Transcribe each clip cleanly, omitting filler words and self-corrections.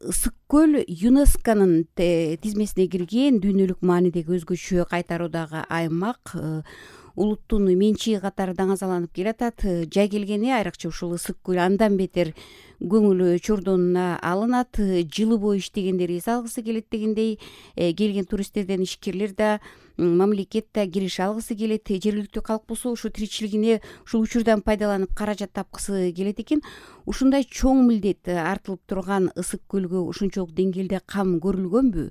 Ысык көл ЮНЕСКОнун тизмесине кирген дүйнөлүк маанидеги өзгөчө кайтаруудагы аймак, улуттун менчиги катары даңазаланып келатат. Жай келгени айрыкча ушул ысык көл андан бетер көңүл чордонуна алынат. Жылы бою иштегендер эс алгысы келет дегендей, келген туристтерден ишкерлер да, мамлекет да кириш алгысы келет. Жергиликтүү калк болсо ушу тиричилигине ушул учурдан пайдаланып каражат тапкысы келет экен. Ушундай чоң милдет артылып турган ысык көлгө ушунчалык деңгээлде кам көрүлгөнбү?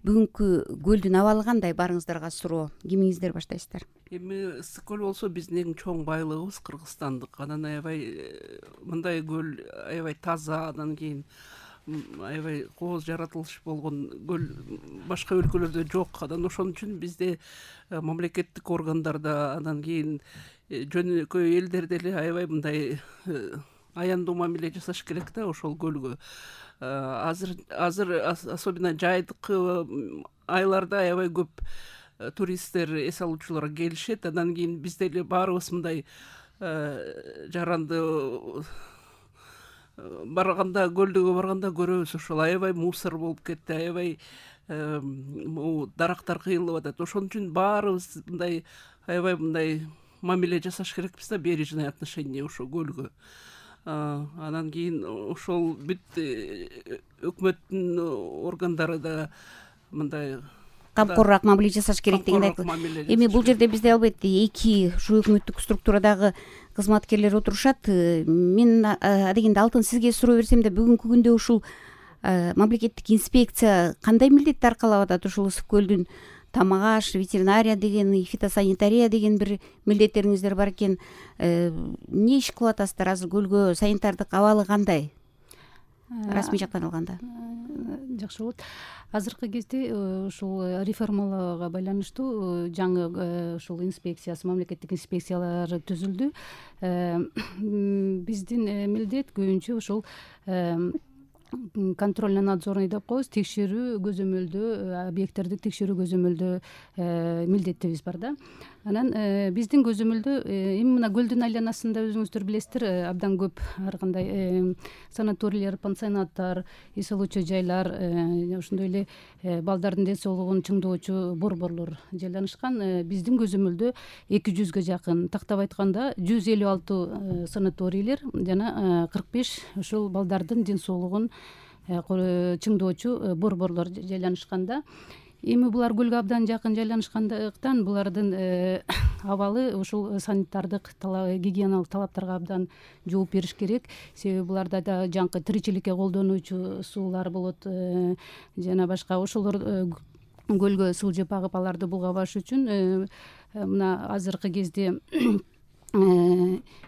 Бүгүнкү көлдүн абалы кандай? Барыңыздарга суроо. Кимиңиздер баштайсыздар? Эми ысык көл болсо биздин эң чоң байлыгыбыз кыргызстандык. Анан аябай мындай көл аябай таза, анан кийин аябай кооз жаратылыш болгон көл башка өлкөлөрдө жок. Анан ошон үчүн бизде мамлекеттик органдарда, анан кийин жөнөкөй элдер деле аябай мындай аяндуу мамиле жасаш керек да ошол көлгө. Азыр особенно жайдыкы айларда аябай көп туристтер, эс алуучулар келишет. Андан кийин биз деле баарыбыз мындай жаранды барганда, көлдөгө барганда көрөбүз. Ошол аябай мусор болуп кетти, аябай дарактар кыйылып атат. Ошон үчүн баарыбыз мындай аябай мындай мамиле жасаш керекпиз да, бережное отношение ошол көлгө. Анан кийин ошол бүт өкмөттүн органдары да мындай камкоруураак мамиле жасаш керек дегенди айтып. Эми бул жерде бизде албетте эки ушу өкмөттүк структурадагы кызматкерлер отурушат. Мен адегенде алтын сизге суроо берсем да, бүгүнкү күндө ушул мамлекеттик инспекция кандай милдетти аркалап атат? Ушул ысык көлдүн тамак аш, ветеринария деген, фитосанитария деген бир милдеттериңиздер бар экен. Эмне иш кылып атасыздар? Азыр көлгө санитардык абалы кандай? Расмий жактан алганда. Жакшы болот. Азыркы кезде ушул реформаларга байланыштуу жаңы ушул инспекциясы, мамлекеттик инспекциялар түзүлдү. Биздин милдет көбүнчө ушул контрольно-надзорный деп коебуз, текшерүү көзөмөлдөө, объекттерди текшерүү көзөмөлдөө милдетибиз бар да. Анан биздин көзөмөлдө эми мына көлдүн айланасында өзүңүздөр билесиздер, абдан көп ар кандай санаторийлер, пансионаттар, эс алуучу жайлар, ошондой эле балдардын ден соолугун чыңдоочу борборлор жайланышкан. Биздин көзөмөлдө 200гө жакын, тактап айтканда 156 санаторийлер жана 45 ушул балдардын ден соолугун чыңдоочу борборлор жайланышканда. Эми булар көлгө абдан жакын жайланышкандыктан булардын абалы ушул санитардык гигиеналык талаптарга абдан жооп бериш керек. Себеби буларда да жаңкы тиричиликке колдонуучу суулар болот, жана башка. Ошолор көлгө сылжып агып аларды булгабаш үчүн мына азыркы кезде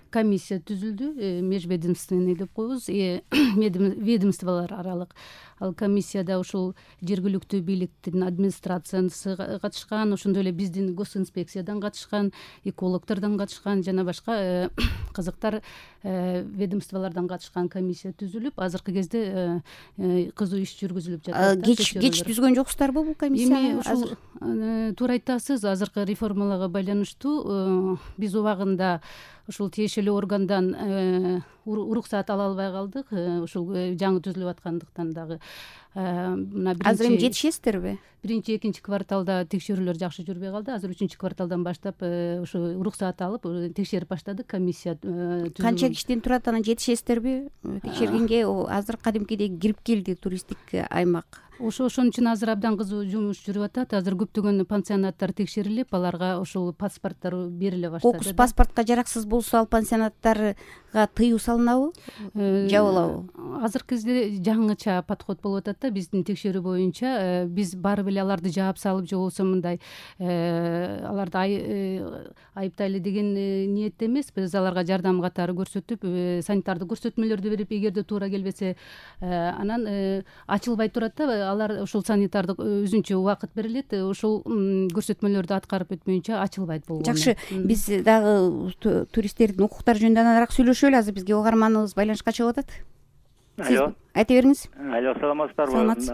комиссия түзүлдү, межведомственный деп коебуз, ведомстволор аралык. Ал комиссияда ушул жергиликтүү бийликтин администрациясы катышкан, ошондой эле биздин госинспекциядан катышкан, экологтордон катышкан, жана башка кызыктар ведомстволордон катышкан комиссия түзүлүп, азыркы кезде кызуу иш жүргүзүлүп жатат. Кеч түзгөн жоксуздарбы бул комиссия? Эми ушул туура айтасыз, азыркы реформаларга байланыштуу биз убагында ушул тиешелүү органдан уруксаат ала албай калдык, ушул жаңы түзүлүп аткандыктан дагы. Азыр эми жетишесиздерби? Биринчи, экинчи кварталда текшерүүлөр жакшы жүрбөй калды. Азыр 3-кварталдан баштап ушу уруксаат алып текшерип баштадык. Комиссия канча кишиден турат, анан жетишесиздерби текшергенге? Азыр кадимкидей кирип келди туристтик аймак. Ошон үчүн азыр абдан кызуу жумуш жүрүп атат. Азыр көптөгөн пансионаттар текшерилип, аларга ушул паспорттор бериле баштады. Кокус паспортко жараксыз болсо, ал пансионаттарга тыюу салынабы, жабылабы? Азыркы кезде жаңыча подход болуп атат да. Биздин текшерүү боюнча биз барып эле аларды жаап салып, же болбосо мындай аларды айыптайлы деген ниетте эмес. Биз аларга жардам катары көрсөтүп, санитардык көрсөтмөлөрдү берип, эгерде туура келбесе, анан ачылбай турат да. Алар ушул санитардык өзүнчө убакыт берилет, ушул көрсөтмөлөрдү аткарып өтмөйүнчө ачылбайт болгону. Жакшы, биз дагы туристтердин укуктары жөнүндө аныраак сүйлөшөлү. Азыр бизге угарманыбыз байланышка чыгып атат. Алло. Айта бериңиз. Алло, саламатсыздарбы?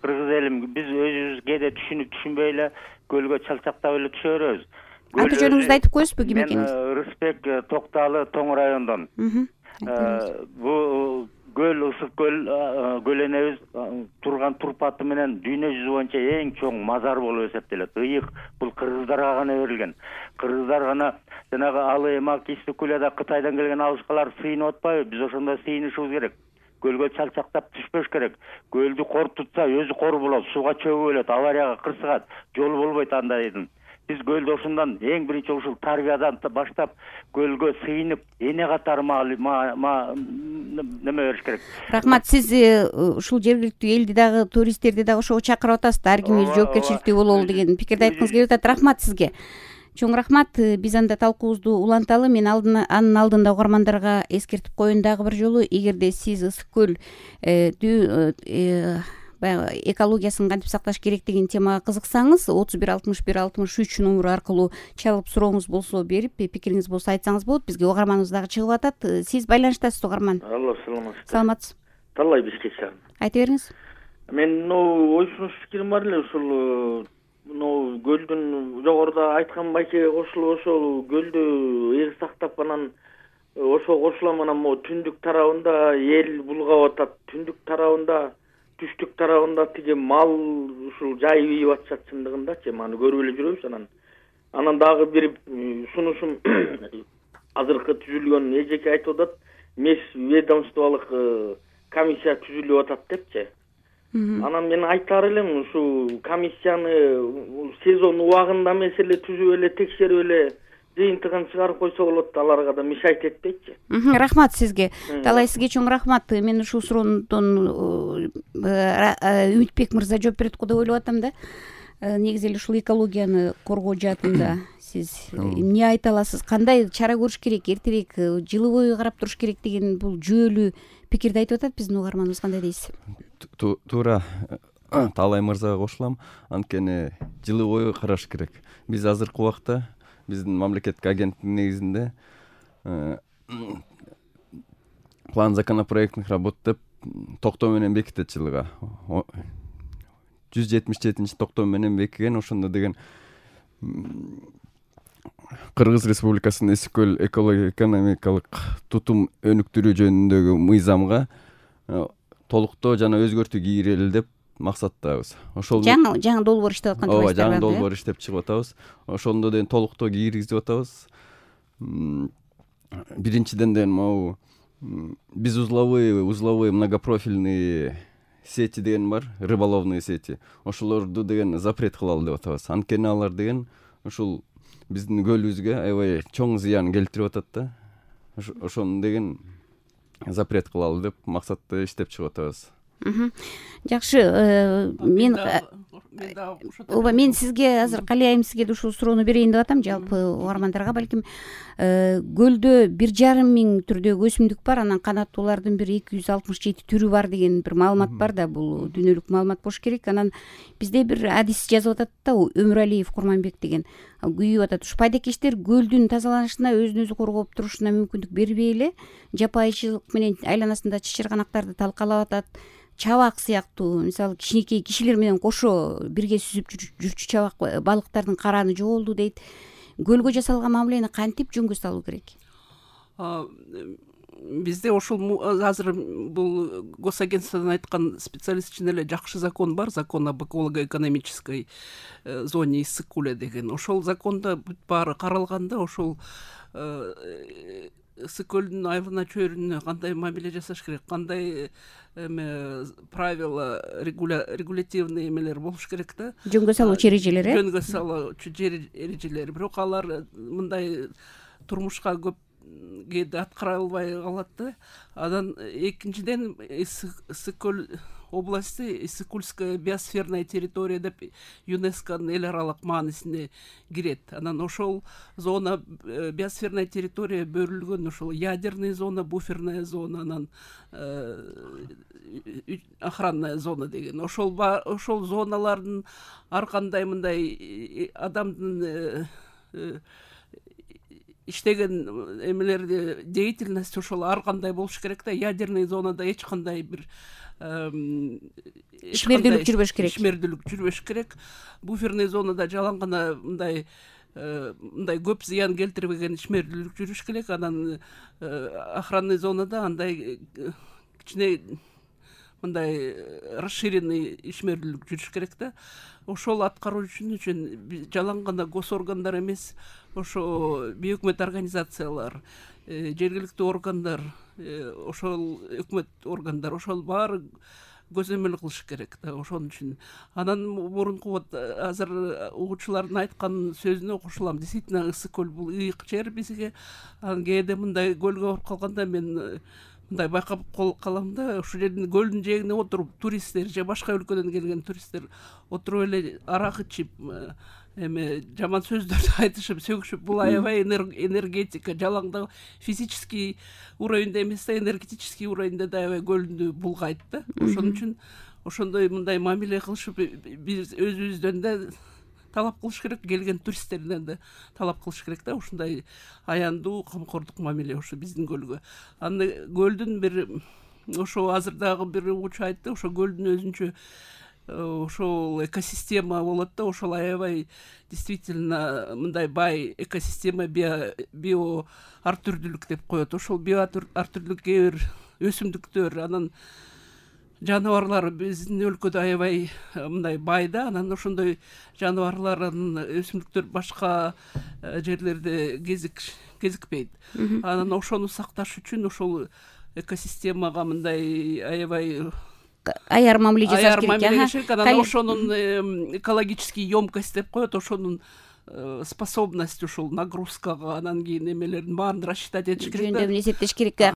Кыргыз элим, биз өзүбүз кээде түшүнбөй эле көлгө чалчактап эле түшө беребиз. Аты жөнүңүздү айтып коесузбу, ким экениңизди? Мен Рысбек Токталы, Тоң районундан. Бул көл ысык көлөнөбүз турган турпаты менен дүйнө жүзү боюнча эң чоң мазар болуп эсептелет. Ыйык бул кыргыздарга гана берилген. Кыргыздар гана жанагы алы эмак Иссыкулада Кытайдан келген алышкалар сыйынып атпайбы? Биз ошондой сыйынышыбыз керек. Көлгө чалчактап түшпөш керек. Көлдү кор тутса өзү кор болот, сууга чөгүп өлөт, аварияга кырсыгат, жол болбойт андайдын. Биз көлдү ошондон эң биринчи ушул тарбиядан баштап көлгө сыйынып эне катары неме бериш керек. Рахмат, сиз ушул жергиликтүү элди дагы, туристтерди дагы ошого чакырып атасыз да, ар ким өз жоопкерчиликтүү бололу деген пикирди айткыңыз келип атат. Рахмат сизге. Чоң рахмат. Биз анда талкуубузду уланталы. Мен анын алдында угармандарга эскертип коеюн дагы бир жолу, эгерде сиз ысык көл баягы экологиясын кантип сакташ керек деген темага кызыксаңыз, 31 61 63 номеру аркылуу чалып сурооңуз болсо берип, пикириңиз болсо айтсаңыз болот. Бизге угарманыбыз дагы чыгып атат. Сиз байланыштасыз угарман. Алло, саламатсызбы? Саламатсыз. Талай Бишкек шаарынан. Айта бериңиз. Мен ой сунуш пикирим бар эле, ушул көлдүн жогоруда айткан байкеге кошулуп, ошол көлдү эр сактап, анан ошого кошулам, анан могу түндүк тарабында эл булгап атат, түндүк тарабында, түштүк тарабында тиги мал ушул жайып ийип атышат чындыгындачы. Маны көрүп эле жүрөбүз. Анан дагы бир сунушум азыркы түзүлгөн эжеке айтып атат, межведомстволук комиссия түзүлүп атат депчи. Анан мен айтаар элем, ушул комиссияны сезон убагында эмес эле түзүп эле, текшерип эле жыйынтыгын чыгарып койсо болот, аларга да мешайт этпейчи. Рахмат сизге. Талай сизге чоң рахмат. Мен ушул суроондон Үмүтбек мырза жооп берет го деп ойлоп атам да. Негизи эле ушул экологияны коргоо жаатында сиз эмне айта аласыз? Кандай чара көрүш керек? Эртерээк жылы бою карап туруш керек деген бул жүйөлүү пикирди айтып атат биздин угарманыбыз. Кандай дейсиз? Туура, Талай мырзага кошулам. Анткени жылы бою караш керек. Биз азыркы убакта биздин мамлекеттик агенттиктин негизинде план законопроектных работ деп токтоо менен бекитет жылыга. 177 токтоо менен бекиген. Ошондо деген Кыргыз Республикасынын Ысык көл экология-экономикалык тутум өнүктүрүү жөнүндөгү мыйзамга толуктоо жана өзгөртүү кийрели деп максаттабыз. Ошол жаңы долбоор иштеп аткан турбайсыздар. Ооба, жаңы долбоор иштеп чыгып атабыз. Ошондо деген толуктоо кийгизип атабыз. Биринчиден деген могу биз узловые многопрофильный сети деген бар, рыболовные сети. Ошолорду деген запрет кылалы деп атабыз. Анткени алар деген ушул биздин көлүбүзгө аябай чоң зыян келтирип атат да. Ошону деген запрет кылалы деп максатта иштеп чыгып атабыз. Жакшы, мен сизге азыр Калий айым сизге ушул суроону берейин деп атам, жалпы угармандарга. Балким көлдө 1,5 миң түрдөгү өсүмдүк бар, анан канаттуулардын бир 267 түрү бар деген бир маалымат бар да, бул дүйнөлүк маалымат болуш керек. Анан бизде бир адис жазып атат да, Өмүралиев Курманбек деген күйүп атат. Ушу пайдакештер көлдүн тазаланышына, өзүн өзү коргоп турушуна мүмкүндүк бербей эле жапайычылык менен айланасында чычырганактарды талкалап атат. Чабак сыяктуу, мисалы кичинекей кишилер менен кошо бирге сүзүп жүрчү чабак балыктардын караны жоголду дейт. Көлгө жасалган мамилени кантип жөнгө салуу керек? Бизде ошол азыр бул госагентстводон айткан специалист үчүн эле жакшы закон бар, закон об эколого-экономической зоне Ысык көлү деген. Ошол закондо бүт баары каралганда, ошол Ысык көлдүн айылына чөйрүнө кандай мамиле жасаш керек, кандай правила, регулятивный эмелер болуш керек да. Жөнгө салуучу эрежелер, жөнгө салуучу эрежелер. Бирок алар мындай турмушка көп кээде аткара албай калат да. Анан экинчиден Ысык көл области Ысык-Кульская биосферная территория деп ЮНЕСКОнун эл аралык маанисине кирет. Анан ошол зона, биосферная территория бөлүнгөн, ошол ядерный зона, буферная зона, анан охранная зона деген. Ошол зоналардын ар кандай мындай адамдын иштеген эмелерди, деятельность ошол ар кандай болуш керек да. Ядерный зонада эч кандай бир ишмердүүлүк жүрбөш керек. Ишмердүүлүк жүрбөш керек. Буферный зонада жалаң гана мындай көп зыян келтирбеген ишмердүүлүк жүрүш керек. Анан охранный зонада андай кичине мындай расширенный ишмерлүүлүк жүрүш керек да. Ошол аткаруучу үчүн жалаң гана госоргандар эмес, ошо бейөкмөт организациялар, жергиликтүү органдар, ошол өкмөт органдар, ошол баары көзөмөл кылыш керек да. Ошон үчүн анан мурунку вот азыр угуучулардын айткан сөзүнө кошулам. Действительно Ысык көл бул ыйык жер бизге. Анан кээде мындай көлгө барып калганда мен мындай байкап калам да, ушул жердин көлдүн жээгине отуруп туристтер же башка өлкөдөн келген туристтер отуруп эле арак ичип, эме жаман сөздөрдү айтышып, сөгүшүп, бул аябай энергетика, жалаң физический уровеньде эмес да, энергетический уровеньде да аябай көлдү булгайт да. Ошон үчүн ошондой мындай мамиле кылышып, биз өзүбүздөн да талап кылыш керек, келген туристтерден да талап кылыш керек да, ушундай аяндуу камкордук мамиле ошо биздин көлгө. Аны көлдүн бир ошо азыр дагы бир угуучу айтты, ошо көлдүн өзүнчө ошол экосистема болот да, ошол аябай действительно мындай бай экосистема, био ар түрдүүлүк деп коет. Ошол био ар түрдүүлүк кээ бир өсүмдүктөр, анан жаныбарлар биздин өлкөдө аябай мындай бай да. Анан ошондой жаныбарлардын, өсүмдүктөр башка жерлерде кезикпейт. Анан ошону сакташ үчүн ошол экосистемага мындай аябай аяр мамиле жасаш керек. Анан ошонун экологический емкость деп коет, ошонун способность, ушул нагрузкага, анан кийин эмелердин баарын рассчитать этиш керек да. Жөндөмүн эсептеш керек.